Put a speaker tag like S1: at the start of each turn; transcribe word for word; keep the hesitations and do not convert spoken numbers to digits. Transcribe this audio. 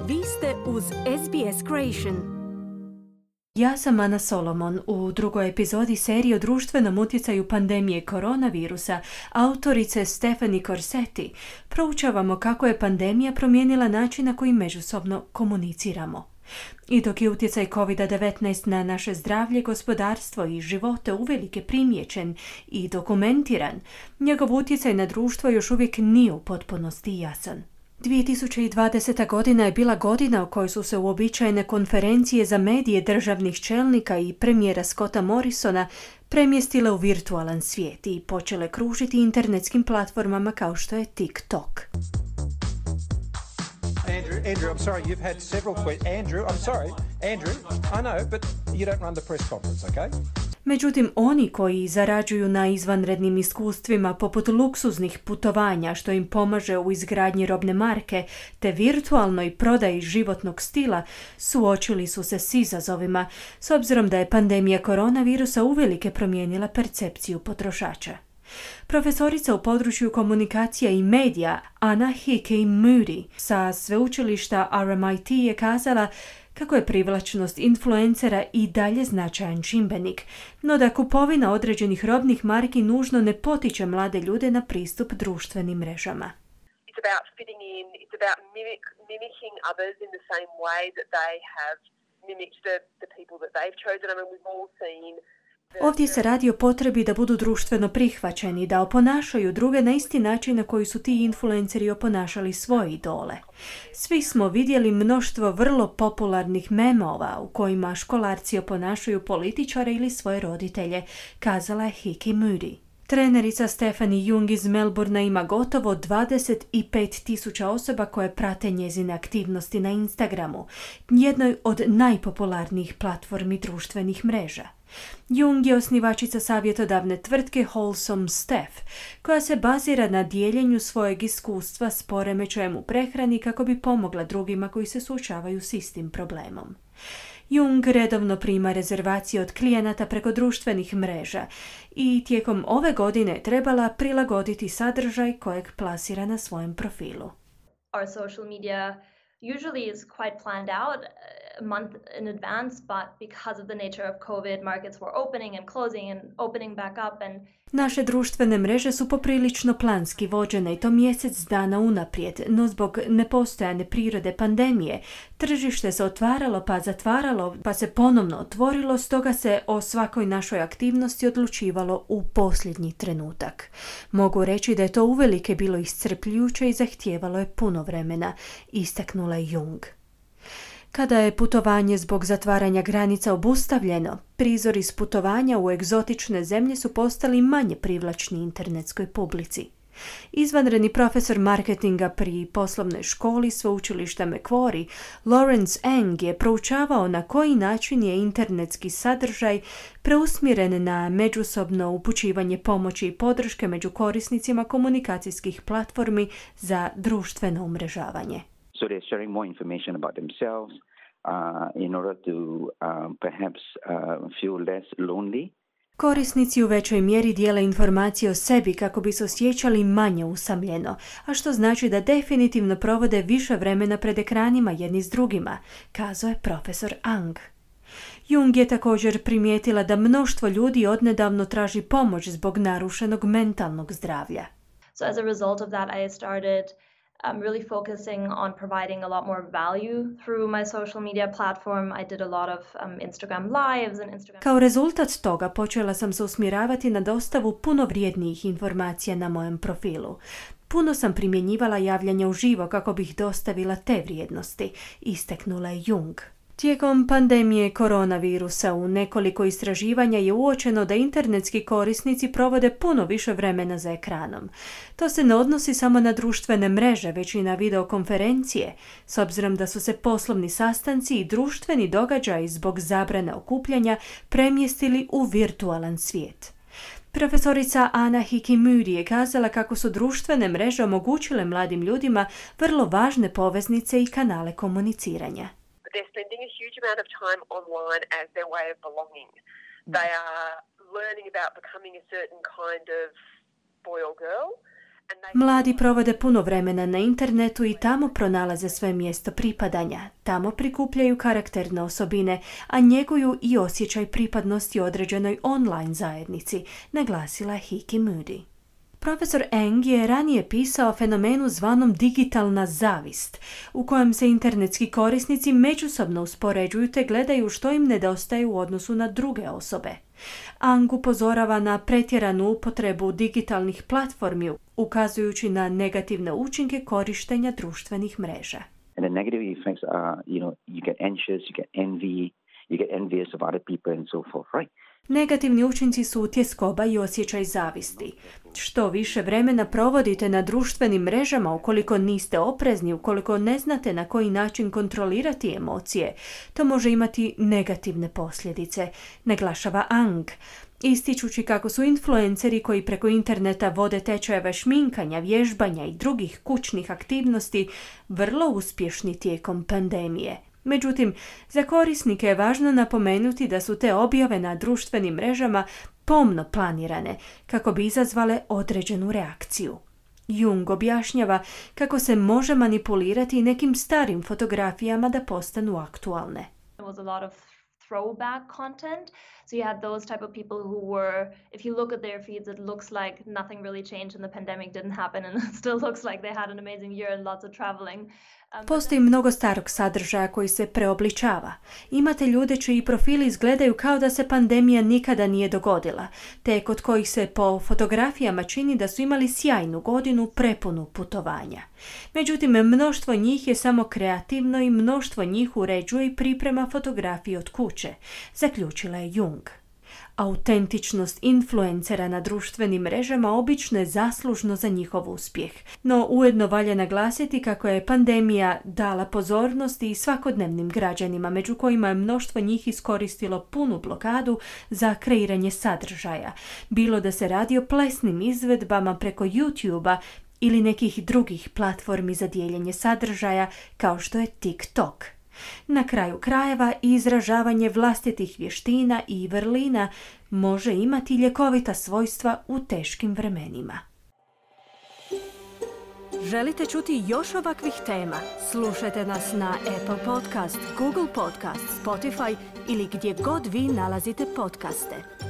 S1: Vi ste uz S B S Creation.
S2: Ja sam Ana Solomon. U drugoj epizodi serije o društvenom utjecaju pandemije koronavirusa autorice Stephanie Corsetti proučavamo kako je pandemija promijenila način na koji međusobno komuniciramo. I dok je utjecaj kovid devetnaest na naše zdravlje, gospodarstvo i živote uvelike primijećen i dokumentiran, njegov utjecaj na društvo još uvijek nije u potpunosti jasan. dvije tisuće dvadeseta godina je bila godina u kojoj su se uobičajene konferencije za medije državnih čelnika i premijera Scotta Morrisona premjestile u virtualan svijet i počele kružiti internetskim platformama kao što je TikTok.
S3: Andrew, Andrew, I'm sorry, you've had several questions. Andrew, I'm sorry, Andrew, I know, but you don't run the press conference, okay?
S2: Međutim, oni koji zarađuju na izvanrednim iskustvima poput luksuznih putovanja što im pomaže u izgradnji robne marke te virtualnoj prodaji životnog stila, suočili su se s izazovima s obzirom da je pandemija koronavirusa uvelike promijenila percepciju potrošača. Profesorica u području komunikacija i medija Anna Hickey Moody sa sveučilišta R M I T je kazala kako je privlačnost influencera i dalje značajan čimbenik, no da kupovina određenih robnih marki nužno ne potiče mlade ljude na pristup društvenim mrežama.
S4: It's about fitting in, it's about mimic, mimicking others in the same way that they have mimicked the, the people that they've chosen. I mean, we've all seen.
S2: Ovdje se radi o potrebi da budu društveno prihvaćeni, da oponašaju druge na isti način na koji su ti influenceri oponašali svoje idole. Svi smo vidjeli mnoštvo vrlo popularnih memova u kojima školarci oponašaju političare ili svoje roditelje, kazala je Hickey Moody. Trenerica Stephanie Jung iz Melbournea ima gotovo dvadeset pet tisuća osoba koje prate njezine aktivnosti na Instagramu, jednoj od najpopularnijih platformi društvenih mreža. Jung je osnivačica savjetodavne tvrtke Wholesome Steph, koja se bazira na dijeljenju svojeg iskustva s poremećajem u prehrani kako bi pomogla drugima koji se suočavaju s istim problemom. Jung redovno prima rezervacije od klijenata preko društvenih mreža i tijekom ove godine trebala prilagoditi sadržaj kojeg plasira na svojem profilu.
S5: Our social media usually is quite planned out a month in advance, but because of the nature of COVID, markets were opening and closing and opening back up and
S2: Naše društvene mreže su poprilično planski vođene i to mjesec dana unaprijed, no zbog nepostojane prirode pandemije, tržište se otvaralo pa zatvaralo pa se ponovno otvorilo, stoga se o svakoj našoj aktivnosti odlučivalo u posljednji trenutak. Mogu reći da je to uvelike bilo iscrpljujuće i zahtijevalo je puno vremena, istaknula je Jung. Kada je putovanje zbog zatvaranja granica obustavljeno, prizori s putovanja u egzotične zemlje su postali manje privlačni internetskoj publici. Izvanredni profesor marketinga pri poslovnoj školi sveučilišta Macquarie, Lawrence Eng, je proučavao na koji način je internetski sadržaj preusmjeren na međusobno upućivanje pomoći i podrške među korisnicima komunikacijskih platformi za društveno umrežavanje.
S6: So they're sharing more information about themselves uh, in order to um, perhaps uh, feel less lonely.
S2: Korisnici u većoj mjeri dijele informacije o sebi kako bi se osjećali manje usamljeno, a što znači da definitivno provode više vremena pred ekranima jedni s drugima, kazao je profesor Ang. Jung je također primijetila da mnoštvo ljudi odnedavno traži pomoć zbog narušenog mentalnog zdravlja.
S5: so as a result of that I started I'm really focusing on providing a lot more value through my social media platform. I did a lot of um, Instagram lives and Instagram...
S2: Kao rezultat toga počela sam se usmjeravati na dostavu puno vrijednijih informacija na mojem profilu. Puno sam primjenjivala javljanje uživo kako bih dostavila te vrijednosti, istaknula je Jung. Tijekom pandemije koronavirusa u nekoliko istraživanja je uočeno da internetski korisnici provode puno više vremena za ekranom. To se ne odnosi samo na društvene mreže, već i na videokonferencije, s obzirom da su se poslovni sastanci i društveni događaji zbog zabrane okupljanja premjestili u virtualan svijet. Profesorica Anna Hickey Moody je kazala kako su društvene mreže omogućile mladim ljudima vrlo važne poveznice i kanale komuniciranja.
S4: They're spending a huge amount of time online as their way of belonging. They are learning about becoming a certain kind of boy or girl,
S2: Mladi provode puno vremena na internetu i tamo pronalaze svoje mjesto pripadanja. Tamo prikupljaju karakterne osobine, a njeguju i osjećaj pripadnosti određenoj online zajednici, naglasila Hiki Moody. Profesor Eng je ranije pisao o fenomenu zvanom digitalna zavist, u kojem se internetski korisnici međusobno uspoređuju te gledaju što im nedostaje u odnosu na druge osobe. Ang upozorava na pretjeranu upotrebu digitalnih platformi, ukazujući na negativne učinke korištenja društvenih mreža.
S6: And the negative effects are, you know, you get anxious, you get envy, you get envious of other people and so forth, right?
S2: Negativni učinci su tjeskoba i osjećaj zavisti. Što više vremena provodite na društvenim mrežama, ukoliko niste oprezni, ukoliko ne znate na koji način kontrolirati emocije, to može imati negativne posljedice, naglašava Ang, ističući kako su influenceri koji preko interneta vode tečajeve šminkanja, vježbanja i drugih kućnih aktivnosti vrlo uspješni tijekom pandemije. Međutim, za korisnike je važno napomenuti da su te objave na društvenim mrežama pomno planirane kako bi izazvale određenu reakciju. Jung objašnjava kako se može manipulirati nekim starim fotografijama da postanu aktualne.
S5: Throwback content. So you had those type of people who were, if you look at their feeds, it looks like nothing really changed and the pandemic didn't happen and it still looks like they had an amazing year and lots of traveling. Um,
S2: Postoji mnogo starog sadržaja koji se preobličava. Imate ljude čiji profili izgledaju kao da se pandemija nikada nije dogodila, te kod kojih se po fotografijama čini da su imali sjajnu godinu prepunu putovanja. Međutim, mnoštvo njih je samo kreativno i mnoštvo njih uređuje i priprema fotografije od kuće, zaključila je Jung. Autentičnost influencera na društvenim mrežama obično je zaslužno za njihov uspjeh, no ujedno valja naglasiti kako je pandemija dala pozornosti i svakodnevnim građanima, među kojima je mnoštvo njih iskoristilo punu blokadu za kreiranje sadržaja, bilo da se radi o plesnim izvedbama preko YouTube-a ili nekih drugih platformi za dijeljenje sadržaja kao što je TikTok. Na kraju krajeva, izražavanje vlastitih vještina i vrlina može imati ljekovita svojstva u teškim vremenima.
S1: Želite čuti još ovakvih tema? Slušajte nas na Apple Podcast, Google Podcast, Spotify ili gdje god vi nalazite podcaste.